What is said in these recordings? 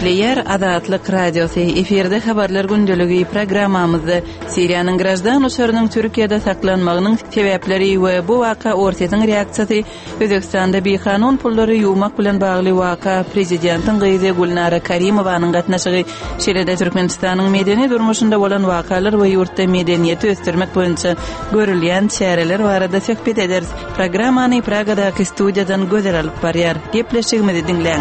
Gepleýär Azatlyk Radiosy, efirde Habarlar gündeligi programmamyzda Siriýanyň graždan uçarynyň Türkiýede saklanmagynyň sebäpleri we bu waka Orsýetiň reaksiýasy, Özbegistanda bikanun pullary ýuwmak bilen bagly waka, prezidentiň gyzy Gülnara Karimowanyň gatnaşygy, şeýle-de Türkmenistanyň medeni durmuşynda bolan wakalar we ýurtda medeniýeti ösdürmek boýunça görülýän çäreler barada söhbet ederis. Programmany Pragadaky studiýadan Gözel alyp barýar. Gepleşigimizi diňläň.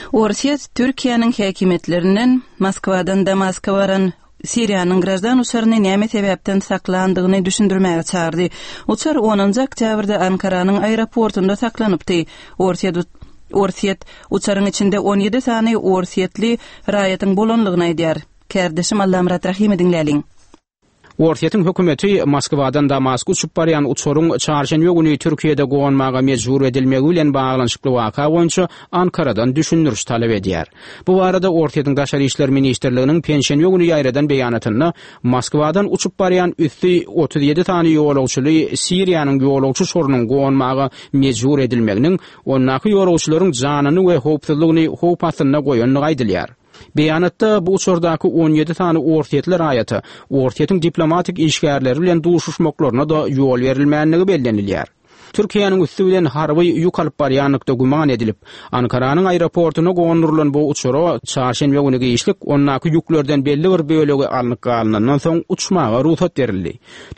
Orsýet Türkiýäniň häkimiýetlerinden Moskwadan Damaska baran Siriýanyň graždan uçaryny näme sebäpden saklandygyny düşündirmäge çagyrdy. Uçar onunjy oktýabrda Ankaranyň aeroportunda saklanypdy. Orsýet Orsýet uçaryň içinde 17 sany orsýetli raýatyň bolanlygyny aýdýar. Kärdeşim Allamyrat Rahymy diňläliň. Orsýetiň hökümeti Moskwadan Damaska uçup barýan uçaryň çarşenbe güni Türkiýede gonmaga mejbur edilmegi bilen baglanyşykly waka boýunça Ankaradan düşündiriş talap edýär. Bu barada Orsýetiň Daşary işler ministrliginiň penşenbe güni ýaýradan beýanatynda Moskwadan uçup barýan üsti 37 sany ýolagçyly Siriýanyň ýolagçy uçarynyň gonmaga mejbur edilmeginiň ondaky ýolagçylaryň janyny we howpsuzlygyny howp astynda goýandygy aýdylýar. Beýanatda bu uçardaky 17 sany orsýetli raýata Orsýetiň diplomatik işgärleri bilen duşuşmaklaryna-da ýol berilmändigi bellenilýär. Türkiýäniň üsti bilen harby ýük alyp barýanlykda güman edilip, Ankaranyň aeroportuna gondurylan bu uçara çarşenbe güni giçlik ondaky ýüklerden belli bir bölegi alnyp galnandan soň uçmaga rugsat berildi.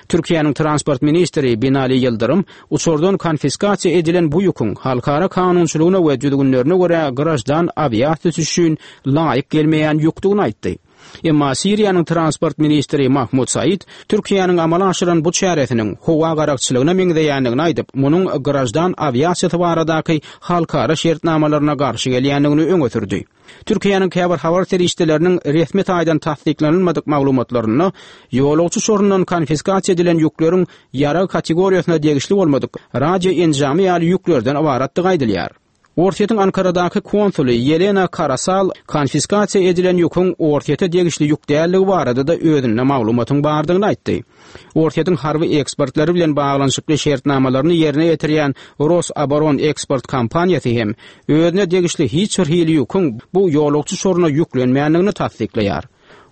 Türkiýäniň transport ministri Binali Ýyldyrym uçardan konfiskasiýa edilen bu ýüküň halkara kanunçylygyna we düzgünlerine görä graždan awiasiýasy üçin laýyk gelmeýän ýükdügini aýtdy. Emma Siriýanyň transport ministri Mahmud Said Türkiýäniň amala aşyran bu çäresiniň howa garakçylygyna meňzeýändigini aýdyp, munuň graždan awiasiýasy baradaky halkara şertnamalaryna garşy gelýändigini öňe sürdi. Türkiýäniň käbir habar serişdeleriniň resmi taýdan tassyklanylmadyk maglumatlarynda ýolagçy uçaryndan konfiskasiýa edilen ýükleriň ýarag kategoriýasyna degişli bolmadyk radio enjamy ýaly ýüklerden ybaratdygy aýdylýar. Orsýetiň Ankaradaky konsuly Ýelena Karasal konfiskasiýa edilen ýüküň Orsýete degişli ýük däldigi barada-da özünde maglumatyň bardygyny aýtdy. Orsýetiň harby ekspertleri bilen baglanyşykly şertnamalaryny ýerine ýetirýän Rosoboroneksport kompaniýasy hem özüne degişli hiç bir hili ýüküň bu ýolagçy uçaryna ýüklenmändigini tassyklaýar.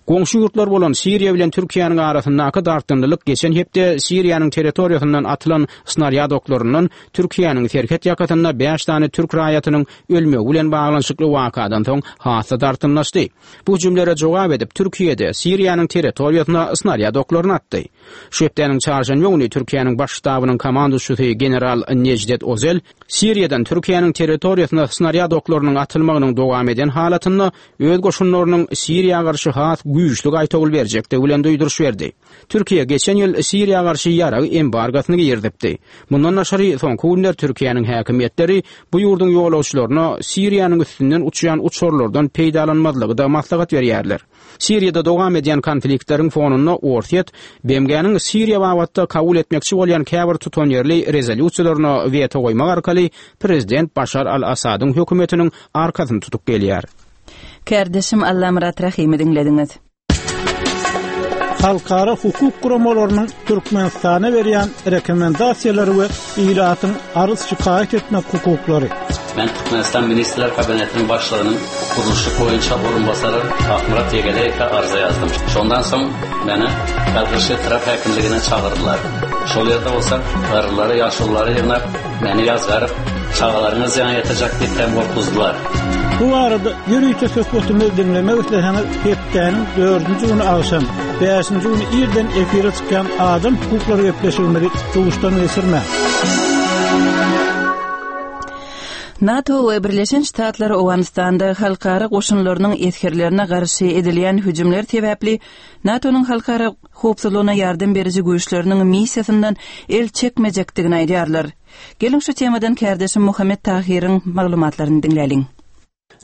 Goňşy ýurtlar bolan Siriýa bilen Türkiýäniň arasyndaky dartgynlylyk geçen hepde Siriýanyň territoriýasyndan atylan snarýad oklaryndan Türkiýäniň serhet ýakasynda bäş sany türk raýatynyň ölmegi bilen baglanyşykly wakadan soň has-da dartgynlaşdy. Bu hüjümlere jogap edip Türkiýe-de Siriýanyň territoriýasyna snarýad oklaryny atdy. Şu hepdäniň çarşenbe güni Türkiýäniň Baş ştabynyň komanduçysy general Nejdet Ozel Siriýadan Türkiýäniň territoriýasyna snarýad oklarynyň atylmagynyň dowam eden halatynda öz goşunlarynyň Siriýa garşy has güýçli gaýtawul berjekdigi bilen duýduryş berdi. Türkiýe geçen ýyl Siriýa garşy ýarag embargosyny girizipdi. Mundan daşary, soňky günler Türkiýäniň häkimiýetleri bu ýurduň ýolagçylaryna Siriýanyň üstünden uçýan uçarlardan peýdalanmazlygy-da maslahat berýärler. Siriýada dowam edýän konfliktleriň fonunda Orsýet BMG-niň Siriýa babatda kabul etmekçi bolýan käbir tutanýerli rezolýusiýalaryna weto goýmak arkaly prezident Başar al-Assadyň hökümetiniň arkasyny tutup gelýär. Kärdeşim Allamyrat Rahymy diňlediňiz. Halkara hukuk guramalarynyň Türkmenistana berýän rekomendasiýalary we ilatyň arz-şikaýat etmek hukuklary. Men Türkmenistan Ministrler Kabinetiniň Başlygynyň gurluşyk boýunça orunbasary Akmyrat Ýegeleýewe arza ýazdym. Şondan soň meni Galkynyş etrap häkimligine çagyrdylar. Şol ýerde bolsa garrylary, ýaşululary ýygnap, meni ýazgaryp, çagalaryňa zyýan ýetirjek diýip hem gorkuzdylar. Bu barada ýörite söhbetimizi diňlemek isleseňiz, hepdäniň dördünji güni agşam, bäşinji güni irden efire çykýan Adam hukuklary gepleşigimizi duşdan geçirmäň. NATO we Birleşen Ştatlar Owganystanda halkara goşunlarynyň esgerlerine garşy edilýän hüjümler sebäpli NATO-nyň halkara howpsuzlygyna ýardam beriji güýçleriniň missiýasyndan el çekmejekdigini aýdýarlar. Geliň şu temadan kärdeşim Muhammet Tahyryň maglumatlaryny diňläliň.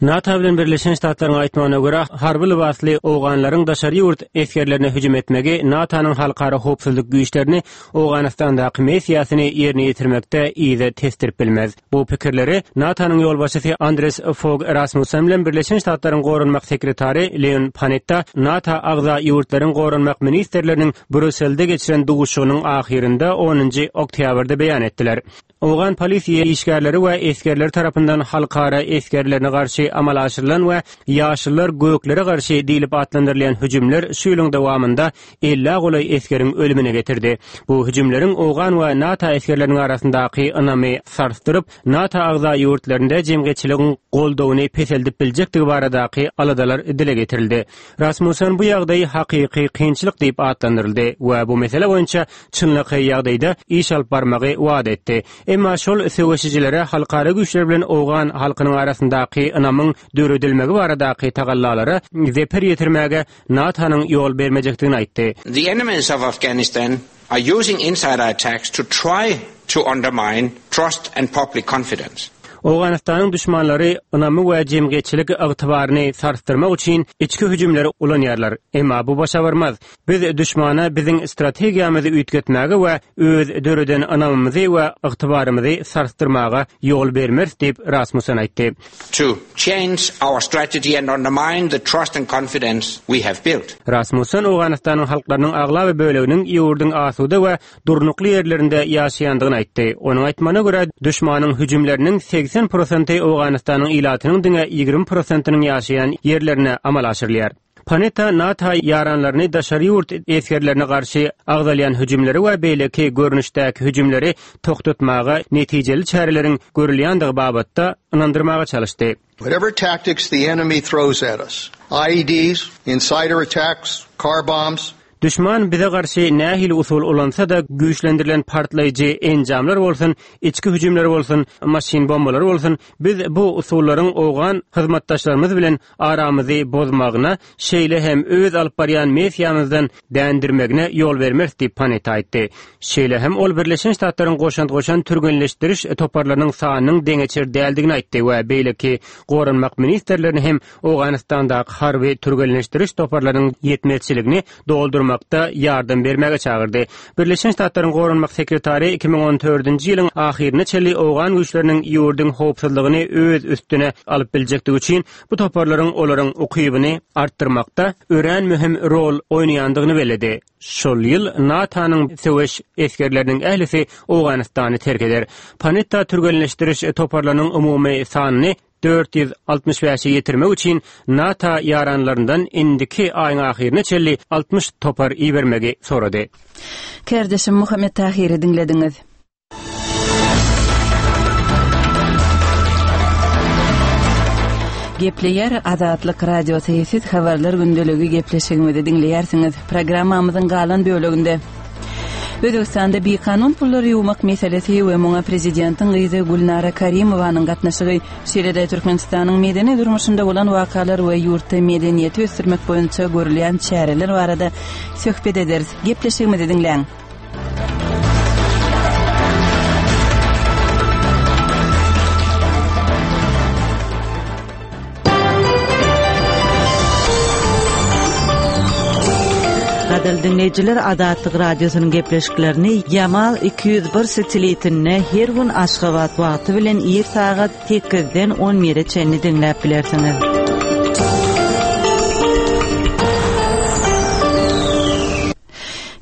NATO bilen Birleşen Ştatlaryň aýtmagyna görä, harby lybasly owganlaryň daşary ýurt esgerlerine hüjüm etmegi NATO-nyň halkara howpsuzlyk güýçlerini Owganystandaky missiýasyny ýerine ýetirmekde yza tesdirip bilmez. Bu pikirleri NATO-nyň ýolbaşçysy Andres Fog Rasmussen bilen Birleşen Ştatlaryň goranmak sekretary Leon Panetta NATO agza ýurtlaryň goranmak ministrleriniň Brýusselde geçiren duşuşygynyň ahyrynda onunjy oktýabrda beýan etdiler. Owgan polisiýa işgärleri we esgerleri tarapyndan halkara esgerlerine garşy amala aşyrylan we Ýaşyllar göklere garşy diýlip atlandyrylýan hüjümler şu ýylyň dowamynda ellä golaý esgeriň ölümine getirdi. Bu hüjümleriň owgan we NATO esgerleriniň arasyndaky ynamy sarsdyryp, NATO agza ýurtlarynda jemgyýetçiligiň goldawyny peseldip biljekdigi baradaky aladalar dile getirildi. Rasmussen bu ýagdaýy hakyky kynçylyk diýip atlandyryldy we bu mesele boýunça çynlakaý ýagdaýda iş alyp barmagy wada etdi. Emma şol söweşijilere halkara güýçler bilen owgan halkynyň arasyndaky ynamyň döredilmegi baradaky tagallalara zeper ýetirmäge NATO-nyň ýol bermejekdigini aýtdy. The enemies of Afghanistan are using insider attacks to try to undermine trust and public confidence. Owganystanyň duşmanlary ynamy we jemgyýetçilik ygtybaryny sarsdyrmak üçin içki hüjümleri ulanýarlar. Emma bu başa barmaz. Biz duşmana biziň strategiýamyzy üýtgetmäge we öz döreden ynamymyzy we ygtybarymyzy sarsdyrmaga ýol bermeris diýip, Rasmussen aýtdy. To change our strategy and undermine the trust and confidence we have built. Rasmussen Owganystanyň halklarynyň aglaba böleginiň ýurduň asuda we durnukly ýerlerinde ýaşaýandygyny aýtdy. Onuň aýtmagyna görä, duşmanyň hüjümleriniň 80 prosenti Owganystanyň ilatynyň diňe 20 prosentiniň ýaşaýan ýerlerine amala aşyrylýar. Panetta NATO ýaranlaryny daşary ýurt esgerlerine garşy agzalýan hüjümleri we beýleki görnüşdäki hüjümleri togtatmaga netijeli çäreleriň görülýändigi babatda ynandyrmaga çalyşdy. Whatever tactics the enemy throws at us, IEDs, insider attacks, car bombs, Duşman bize garşy nähili usul ulansa-da, güýçlendirilen partlaýjy enjamlar bolsun, içki hüjümler bolsun, maşyn bombalary bolsun, biz bu usullaryň owgan hyzmatdaşlarymyz bilen aramyzy bozmagyna, şeýle hem öz alyp barýan missiýamyzdan dändirmegine ýol bermeris diýip, Panetta aýtdy. Şeýle hem ol Birleşen Ştatlaryň goşant goşan türgenleşdiriş toparlarynyň sanynyň deňeçer däldigini aýtdy we beýleki goranmak ministrlerini hem Owganystandaky harby türgenleşdiriş toparlarynyň ýetmezçiligini doldurmakda ýardam bermäge çagyrdy. Birleşen Ştatlaryň goranmak sekretary 2014-nji ýylyň ahyryna çenli owgan güýçleriniň ýurduň howpsuzlygyny öz üstüne alyp biljekdigi üçin bu toparlaryň olaryň ukybyny artdyrmakda örän möhüm rol oýnaýandygyny belledi. Şol ýyl NATO-nyň söweş esgerleriniň ählisi Owganystany terk eder. Panetta türgenleşdiriş toparlarynyň umumy sanyny 465-e ýetirmek üçin NATO ýaranlaryndan indiki aýyň ahyryna çenli 60 topar ibermegi sorady. Kärdeşim Muhammet Tahyry diňlediňiz. Gepleýär Azatlyk Radiosy, siz Habarlar gündeligi gepleşigimizi diňleýärsiňiz. Programmamyzyň galan böleginde Özbegistanda bikanun pullary ýuwmak meselesi we muňa prezidentiň gyzy Gülnara Karimowanyň gatnaşygy, şeýle-de Türkmenistanyň medeni durmuşynda bolan wakalar we ýurtda medeniýeti ösdürmek boýunça görülýän çäreler barada söhbet ederis. Gepleşigimizi diňläň. Gadyrly diňleýjiler Azatlyk Radiosynyň gepleşiklerini Ýamal 201 satelitinde her gün Aşgabat wagty bilen ir sagat 8-den 11-e çenli diňläp bilersiňiz.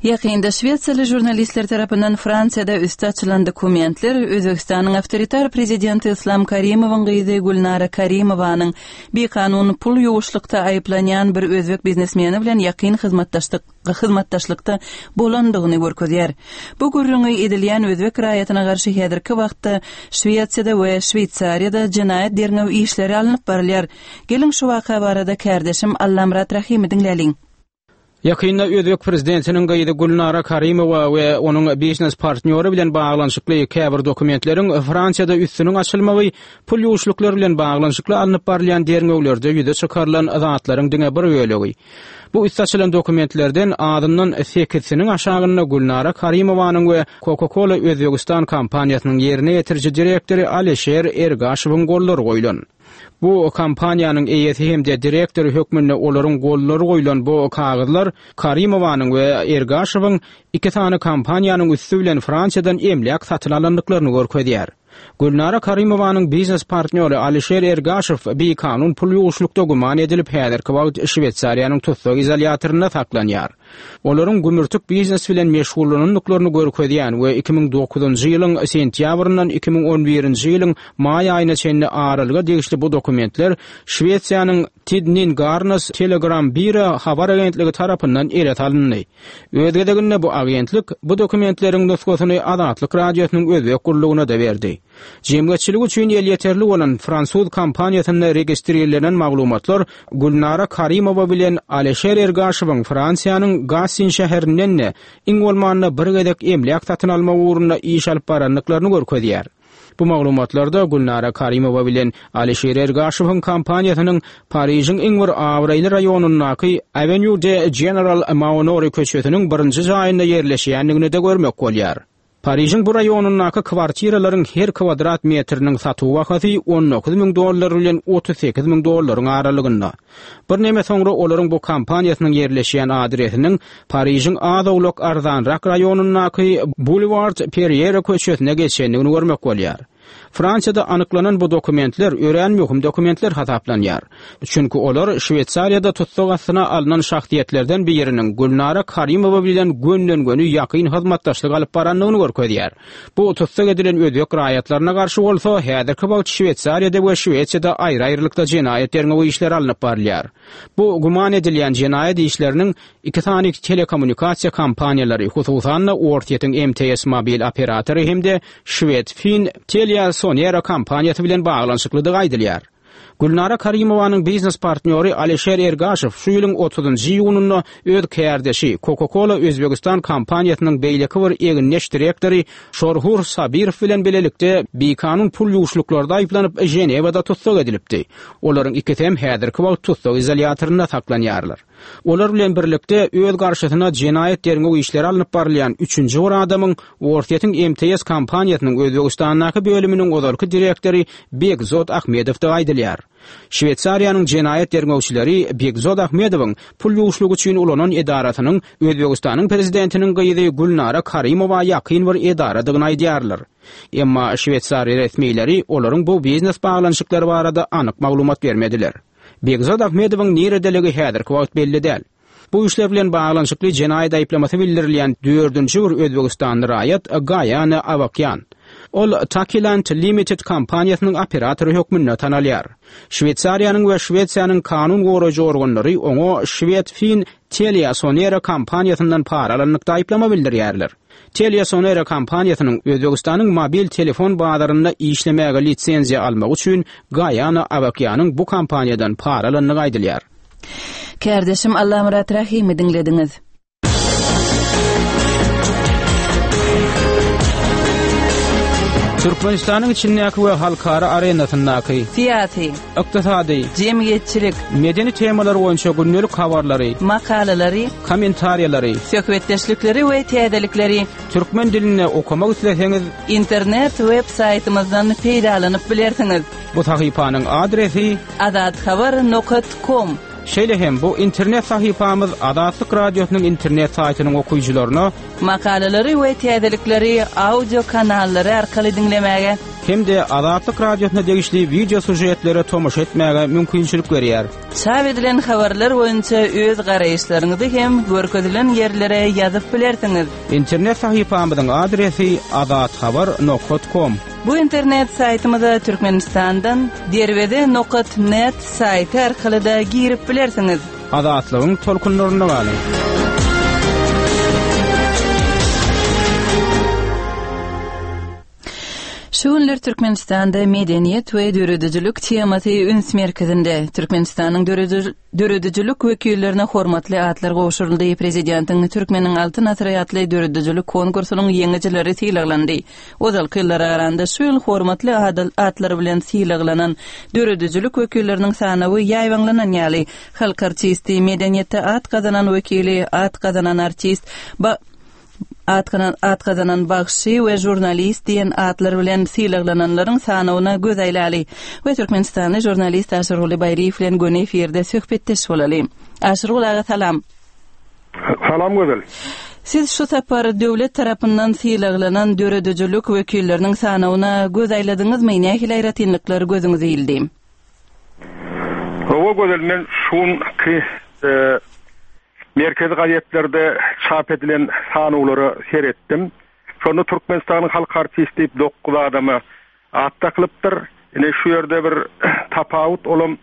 Ýakynda şwesiýaly žurnalistler tarapyndan Fransiýada üsti açylan dokumentler Özbegistanyň awtoritar prezidenti Yslam Karimowyň gyzy Gülnara Karimowanyň bikanun pul ýuwuşlykda aýyplanýan bir özbek biznesmeni bilen ýakyn hyzmatdaşlykda bolandygyny görkezýär. Bu gürrüňi edilýän özbek raýatyna garşy häzirki wagtda Şwesiýada we Şweýsariýada jenaýat derňew işleri alnyp barylýar. Geliň şu waka barada kärdeşim Allamyrat Rahymy diňläliň. Ýakynda özbek prezidentiniň gyzy Gülnara Karimowa we onuň biznes partnýory bilen baglanyşykly käbir dokumentleriň Fransiýada üstüniň açylmagy pul ýuwuşlyklary bilen baglanyşykly alnyp barylýan derňewlerde ýüze çykarylan zatlaryň diňe bir bölegi. Bu üsti açylan dokumentlerden azyndan sekizsiniň aşagynda Gülnara Karimowanyň we Coca-Cola Özbegistan kompaniýasynyň ýerine ýetiriji direktory Alişer Ergaşowyň gollary goýlan. Bu kompaniýanyň eýesi hem-de direktory hökmünde olaryň gollary goýlan bu kagyzlar Karimowanyň we Ergaşowyň iki sany kompaniýanyň üsti bilen Fransiýadan emläk satyn alandyklaryny görkezýär. Gülnara Karimowanyň biznes partnýory Alişer Ergaşow bikanun pul ýuwuşlykda güman edilip, häzirki wagt Şweýsariýanyň tussag izolýatorynda saklanýar. Olaryň gümürtik biznes bilen meşgullanandyklaryny görkezýän we 2009-njy ýylyň sentýabryndan 2011-nji ýylyň maý aýyna çenli aralyga degişli bu dokumentler Şwesiýanyň Tidningarnas Telegram Bira habar agentligi tarapyndan ele salyndy. Öz gezeginde bu agentlik bu dokumentleriň nusgasyny Azatlyk Radiosynyň özbek gullugyna-da berdi. Jemgyýetçilik üçin elýeterli bolan fransuz kompaniýasynda registrirlenen maglumatlar Gülnara Karimowa bilen Alişer Ergaşowyň Fransiýanyň Gassin şäherinden-de iň bolmanda bir gezek emläk satyn almak ugrunda iş alyp barandyklaryny görkezýär. Bu maglumatlarda Gülnara Karimowa bilen Alişer Ergaşowyň kompaniýasynyň Parižiň iň bir abraýly raýonyndaky Avenue de General Maonori köçesiniň birinji jaýynda ýerleşýändigini-de görmek bolýar. Parižiň bu raýonyndaky kwartiralaryň her kwadrat metriniň satuw bahasy 19 müň dollar bilen 38 müň dollaryň aralygynda. Birneme soňra olaryň bu kompaniýasynyň ýerleşýän adresiniň Parižiň az-owlak arzanrak raýonyndaky Boulevard Perriere köçesine geçendigini görmek bolýar. Fransiýada anyklanan bu dokumentler örän möhüm dokumentler hasaplanýar. Çünki olar Şweýsariýada tussag astyna alnan şahsyýetlerden biriniň Gülnara Karimowa bilen gönden-göni ýakyn hyzmatdaşlyk alyp barandygyny görkezýär. Bu tussag edilen özbek raýatlaryna garşy bolsa häzirki wagt Şweýsariýada we Şwesiýada aýry-aýrylykda jenaýat derňewi işleri alnyp barylýar. Bu güman edilýän jenaýat işleriniň iki sany telekommunikasiýa kompaniýalary, hususan-da Orsýetiň MTS mobil operatory hem-de şwed-fin TeliaSonera kompaniýasy bilen baglanyşyklydygy aýdylýar. Gülnara Karimowanyň biznes partnýory Alişer Ergaşow şu ýylyň otuzynjy iýunynda öz kärdeşi, Coca-Cola Özbegistan kompaniýasynyň beýleki bir egindeş direktory Şorhur Sabirow bilen bilelikde bikanun pul ýuwuşlyklarda aýyplanyp, Ženewada tussag edilipdi. Olaryň ikisi hem häzirki wagt tussag izolýatorynda saklanýarlar. Olar bilen birlikde öz garşysyna jenaýat derňew işleri alnyp barylýan üçünji bir adamyň Orsýetiň MTS kompaniýasynyň Özbegistandaky bölüminiň ozalky direktory Begzod Ahmedowdygy aýdylýar. Şweýsariýanyň jenaýat derňewçileri Begzod Ahmedowyň pul ýuwuşlygy üçin ulanan edarasynyň Özbegistanyň prezidentiniň gyzy Gülnara Karimowa ýakyn bir edaradygyny aýdýarlar. Emma şweýsariýa resmileri olaryň bu biznes baglanyşyklary barada anyk maglumat bermediler. Begzod Ahmedowyň niredeligi häzirki wagt belli däl. Bu işler bilen baglanyşykly jenaýat aýyplamasy bildirilýän dördünji bir özbegistanly raýat Gaýane Awakýan. Ol Takilant Limited kompaniýasynyň operatory hökmünde tanalýar. Şweýsariýanyň we Şwesiýanyň kanun goraýjy organlary oňa şwed-fin TeliaSonera kompaniýasyndan para alanlykda aýyplama bildirýärler. TeliaSonera kompaniýasynyň Özbegistanyň mobil telefon bazarynda işlemäge lisenziýa almagy üçin Gaýana Awakýanyň bu kompaniýadan para alandygy aýdylýar. Kärdeşim Allamyrat Rahymy diňlediňiz. Türkmenistanyň içindäki we halkara arenasyndaky Syýasy, ykdysady, jemgyýetçilik, medeni temalar boýunça gündelik habarlary, makalalary, kommentariýalary, söhbetdeşlikleri we täzelikleri türkmen dilinde okamak isleseňiz, internet web saýtymyzdan peýdalanyp bilersiňiz. Bu sahypanyň adresi Azathabar nokat kom. Şeýle hem bu internet sahypamyz Azatlyk Radiosynyň internet saýtynyň okyjylaryna Makalalary we täzelikleri audio kanallary arkaly diňlemäge hem-de Azatlyk Radiosyna degişli wideo sýužetlere tomaşa etmäge mümkinçilik berýär. Çap edilen habarlar boýunça öz garaýyşlaryňyzy hem görkezilen ýerlere ýazyp bilersiňiz. Internet sahypamyzyň adresi azathabar nokat kom. Bu internet saýtymyza Türkmenistandan Derweze nokat net saýty arkaly-da girip bilersiňiz. Azatlygyň tolkunlarynda galyň! Şu günler Türkmenistanda medeniýet we döredijilik temasy üns merkezinde. Türkmenistanyň döredijilik wekillerine hormatly atlar gowşuryldy, Prezidentiň Türkmeniň Altyn asyry atly döredijilik konkursynyň ýeňijileri sylaglandy. Ozalky ýyllara garanda şu ýyl hormatly atlar bilen sylaglanan döredijilik wekilleriniň sanawy ýaýbaňlanan ýaly. Halk artisti, medeniýetde at gazanan wekili, at gazanan artist, ba. At gazanan bagşy we žurnalist diýen atlar bilen sylaglananlaryň sanawyna göz aýlaly we türkmenistanly žurnalist Aşyrguly Baýryýew bilen göni efirde söhbetdeş bolaly. Aşyrguly aga salam. Salam Gözel. Siz şu sapar döwlet tarapyndan sylaglanan döredijilik wekilleriniň sanawyna göz aýladyňyzmy, nähili aýratynlyklar gözüňize ildi? Hawa Gözel, men şu günki merkezi gazetlerde çap edilen sanawlara seretdim. Şonda Türkmenistanyň halk artisti diýip dokuz adama at dakylypdyr. Ine şu ýerde bir tapawut, olam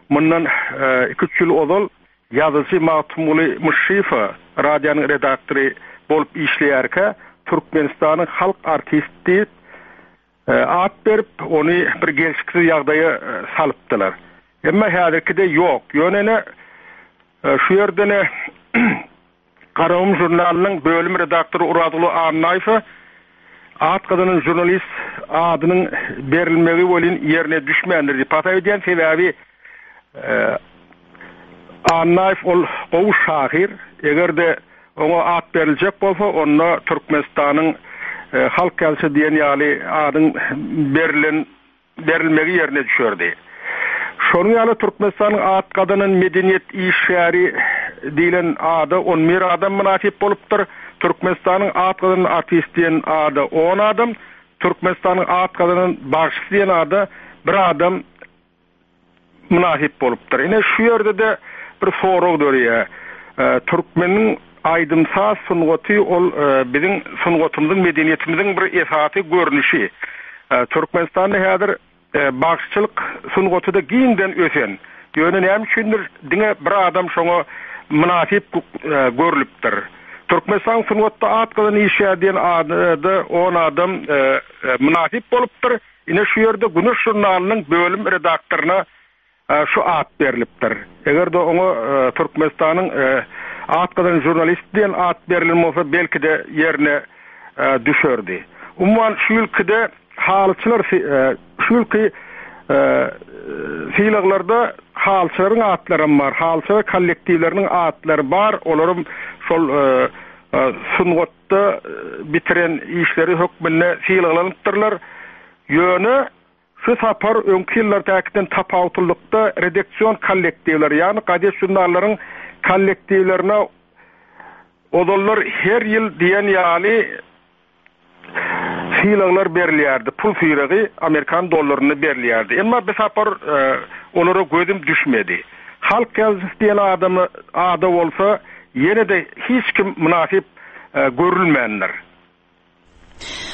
mundan iki-üç ýyl ozal Ýazyjy Magtymguly Myşşyýewe radionyň redaktory bolup işleýärkä Türkmenistanyň halk artisti diýip at berip, ony bir gelşiksiz ýagdaýa salypdylar. Emma häzirkide ýok. Ýöne ine şu ýerde-ne Garagum žurnalynyň bölüm redaktory Orazguly Annaýewe at gazanan žurnalist adynyň berilmegi welin ýerine düşmändir diýip hasap edýän. Sebäbi Annaýew ol gowy şahyr. Eger-de oňa at beriljek bolsa, onda Türkmenistanyň halk ýazyjysy diýen ýaly adyň berlen berilmegi ýerine düşerdi. Şonuň ýaly Türkmenistanyň at gazanan medeniýet işgäri diýlen ada on bir adam mynasyp bolupdyr, Türkmenistanyň at gazanan artisti diýen ada on adam, Türkmenistanyň at gazanan bagşysy diýen ada bir adam mynasyp bolupdyr. Ine şu ýerde-de bir sorag döreýär. Türkmeniň aýdym-saz sungaty ol biziň sungatymyzyň, medeniýetimiziň bir esasy görnüşi. Türkmenistanda häzir bagşyçylyk sungaty-da giňden ösen. Ýöne näme üçindir diňe bir adam şoňa mynasyp görlüpdir. Türkmenistanyň sungatda at gazanan işgäri diýen ada on adam mynasyp bolupdyr. Ine şu ýerde Güneş žurnalynyň bölüm redaktoryna Şu at berlipdir. Eger-de oňa Türkmenistanyň at gazanan žurnalisti diýen at berlen bolsa, belki-de ýerine düşerdi. Umuman, şu ýylkyda halyçylar şu ýylky sylaglarda halyçylaryň atlaram bar, halyçylar kollektiwleriniň atlary bar, olaram şol sungatda bitiren işleri hökmünde sylaglanypdyrlar. Ýöne Şu sapar öňki ýyllardakiden tapawutlylykda redaksion kollektiwler, ýagny gazet-žurnallaryň kollektiwlerine ozallar her ýyl diýen ýaly sylaglar berilýärdi, pul sylagy amerikan dollarynda berilýärdi. Emma bu sapar olara gözüm düşmedi. Halk ýazyjysy diýen adama ada bolsa ýene-de hiç kim mynasyp görülmändir.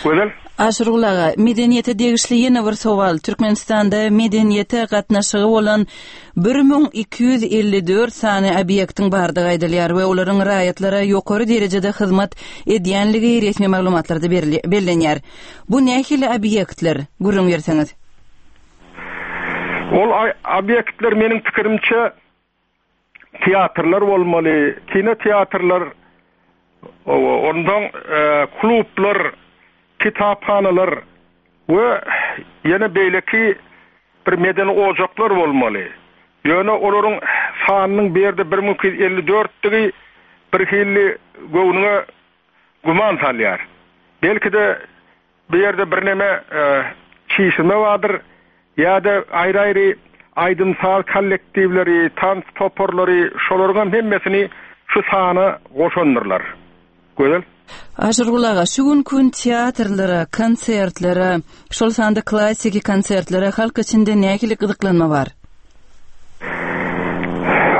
Gözel. Aşyrgul aga, medeniýete degişli ýene bir sowal. Türkmenistanda medeniýete gatnaşygy bolan 1254 sany obýektiň bardygy aýdylýar we olaryň raýatlara ýokary derejede hyzmat edýänligi resmi maglumatlarda bellenýär. Bu nähili obýektler? Gürrüň berseňiz. Ol obýektler meniň pikirimçe teatrlar bolmaly, kinoteatrlar, onsoň klublar, kitaphanalar we ýene beýleki bir medeni ojaklar bolmaly. Ýöne olaryň sanynyň bu ýerde 1254-digi birhili göwnüňe güman salýar. Belki-de Bu ýerde birneme çişirme bardyr ýa-da aýry-aýry aýdym-saz kollektiwleri, tans toparlary, şolaryňam hemmesini şu sana goşandyrlar. Gözel. Aşyrgul aga, şu günki gün teatrlara, konsertlere, şol sanda klassiki konsertlere halk içinde nähili gyzyklanma bar?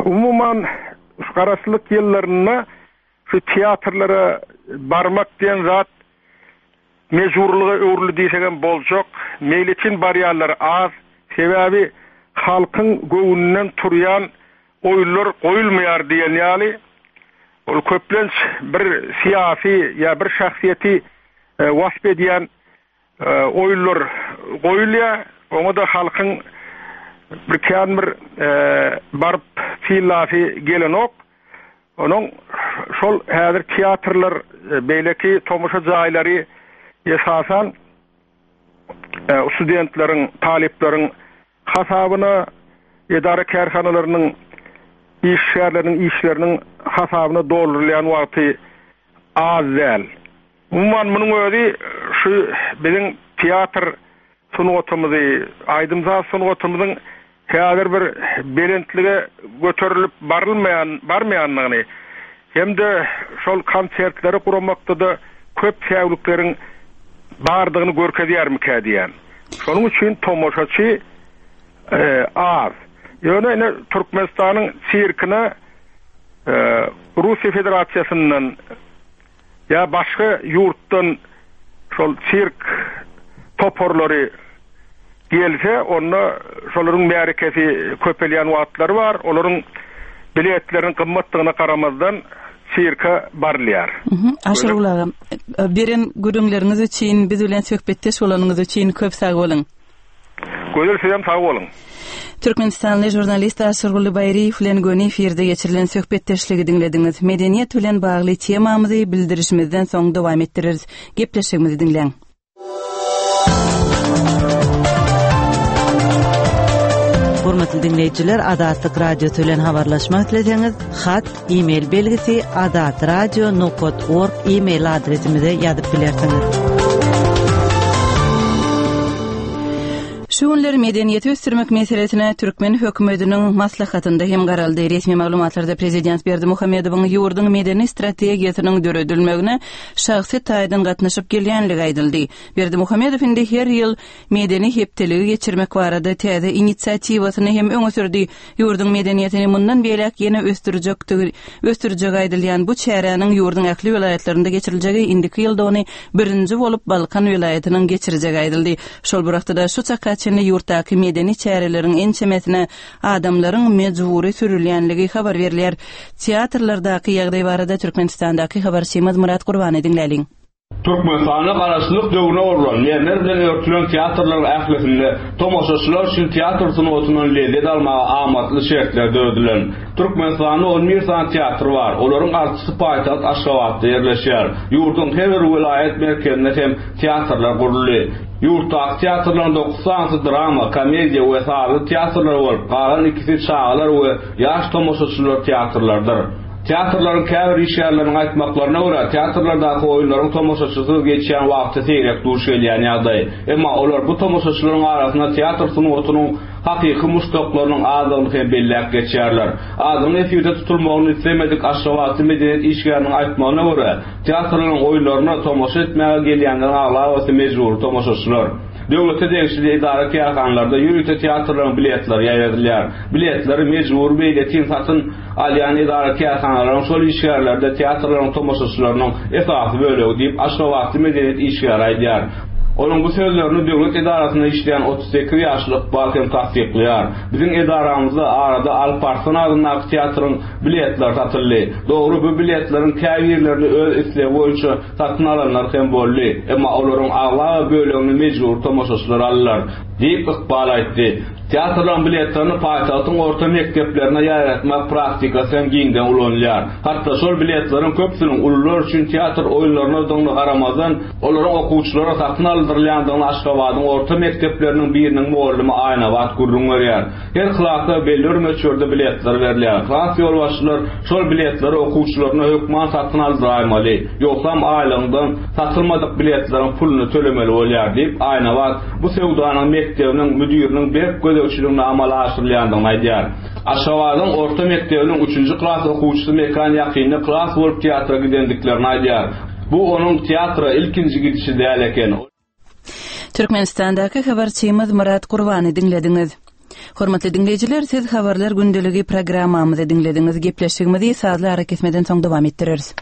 Umuman, şu Garaşsyzlyk ýyllarynda şu teatrlara barmak diýen zat Mejburlyga öwrüldi diýsegem boljak. Meýletin barýanlar az. Sebäbi halkyň göwnünden turýan oýunlar goýulmaýar diýen ýaly. Ol köplenç bir syýasy ýa bir şahsyýeti wasp edýän oýunlar goýulýar. Oňa-da halkyň bir kän bir baryp synlasy gelenok. Onuň şol häzir teatrlar, beýleki tomaşa jaýlary esasan studentleriň, talyplaryň hasabyna, edara-kärhanalarynyň işgärleriniň işleriniň hasabyna doldurylýan wagty az däl. Umuman, munuň özi şu biziň teatr sungatymyzy, aýdym-saz sungatymyzyň häzir bir belentlige göterilip barylmaýan, barmaýandygyny hem-de şol konsertleri guramakda-da köp säwlikleriň bardygyny görkezýärmikä diýýän. Şonuň üçin tomaşaçy az. Ýöne ine Türkmenistanyň sirkine Russiýa Federasiýasyndan ýa başga ýurtdan şol sirk toparlary gelse, onda şolaryň märekesi köpelýän wagtlary bar. Olaryň biletleriniň gymmatdygyna garamazdan sirke barylýar. Aşyrgul aga, beren gürrüňleriňiz üçin, biz bilen söhbetdeş bolanyňyz üçin köp sag boluň. Gözel sizem sag boluň. Türkmenistanly žurnalist Aşyrguly Baýryýew bilen göni efirde geçirilen söhbetdeşligi diňlediňiz. Medeniýet bilen bagly temamyzy bildirişimizden soň dowam etdireris. Gepleşigimizi diňläň. Hormatly diňleýjiler, Azatlyk Radiosy bilen habarlaşmak isleseňiz, hat, e-mail belgisi azatradio nokat org e-mail adresimize ýazyp bilersiňiz. Şu günler medeniýeti ösdürmek meselesine türkmen hökümetiniň maslahatynda hem garaldy. Resmi maglumatlarda prezident Berdimuhamedowyň ýurduň medeni strategiýasynyň döredilmegine şahsy taýdan gatnaşyp gelýänligi aýdyldy. Berdimuhamedow indi her ýyl medeni hepdeligi geçirmek barada täze inisiatiwasyny hem öňe sürdi. Ýurduň medeniýetini mundan beýläk ýene ösdürjekdigi ösdürjegi aýdylýan bu çäräniň ýurduň ähli welaýatlarynda geçiriljegi, indiki ýylda ony birinji bolup Balkan welaýatynyň geçirjegi aýdyldy. Şol bir wagtda-da şu çaka çenli ýurtdaky medeni çäreleriň ençemesine adamlaryň mejbury sürülýänligi habar berilýär. Teatrlardaky ýagdaý barada Türkmenistandaky habarçymyz Myrat Gurbany diňläliň. Türkmenistanda Garaşsyzlyk döwründe gurlan, mermer bilen örtülen teatrlaryň ählisinde tomaşaçylar üçin teatr sungatyndan lezzet almaga amatly şertler döredilen. Türkmenistanda on bir sany teatr bar, olaryň altysy paýtagt Aşgabatda ýerleşýär. Ýurduň her bir welaýat merkezinde hem teatrlar guruldy. Ýurtdaky teatrlaryň dokuz sanysy drama, komediýa we sazly teatrlar bolup, galan ikisi çagalar we ýaş tomaşaçylar teatrlarydyr. Teatrlaryň käbir işgärleriniň aýtmaklaryna görä, teatrlardaky oýunlaryň tomaşaçysyz geçýän wagty seýrek duş gelýän ýagdaý. Emma olar bu tomaşaçylaryň arasynda teatr sungatynyň hakyky muşdaklarynyň azdygyny hem belläp geçýärler. Adynyň efirde tutulmagyny islemedik aşgabatly medeniýet işgäriniň aýtmagyna görä, teatrlaryň oýunlaryna tomaşa etmäge gelýänleriň aglabasy mejbury tomaşaçylar. Döwlete degişli edara-kärhanalarda ýörite teatrlaryň biletleri ýaýradylýar. Biletleri mejbury meýletin satyn alýan edara-kärhanalaryň şol işgärleri-de teatrlaryň tomaşaçylarynyň esasy bölegi diýip, aşgabatly medeniýet işgäri aýdýar. Onuň bu sözlerini döwlet edarasynda işleýän 38 ýaşly Ykbal hem tassyklaýar. Biziň edaramyzda arada Alp Arslan adyndaky teatryň biletleri satyldy. Dogry, bu biletleriň käbirlerini öz islegi boýunça satyn alanlar hem boldy. Emma olaryň aglaba bölegini mejbury tomaşaçylar aldylar, diýip, Ykbal aýtdy. Teatrlaryň biletlerini paýtagtyň orta mekdeplerine ýaýratmak praktikasy hem giňden ulanylýar. Hatda şol biletleriň köpüsiniň ulular üçin teatr oýunlarynadygyna garamazdan, olaryň okuwçylara satyn aldyrylýandygyny Aşgabadyň orta mekdepleriniň biriniň mugallymy Aýnabat gürrüň berýär. Her klasa belli bir möçberde biletler berilýär. Klas ýolbaşçylar şol biletleri okuwçylaryna hökman satyn aldyraýmaly, ýogsam aýlygyňdan satylmadyk biletleriň puluny tölemeli bolýar diýip, Aýnabat bu söwdanyň mekdebiniň müdiriniň berk gözegçiliginde amala aşyrylýandygyny aýdýar. Aşgabadyň orta mekdebiniň üçünji klas okuwçysy Mekan ýakynda klas bolup teatra gidendiklerini aýdýar. Bu onuň teatra ilkinji gidişi däl eken. Türkmenistandaky habarçymyz Myrat Gurbany diňlediňiz. Hormatly diňleýjiler, siz Habarlar gündeligi programmamyzy diňlediňiz. Gepleşigimizi sazly arakesmeden soň dowam etdireris.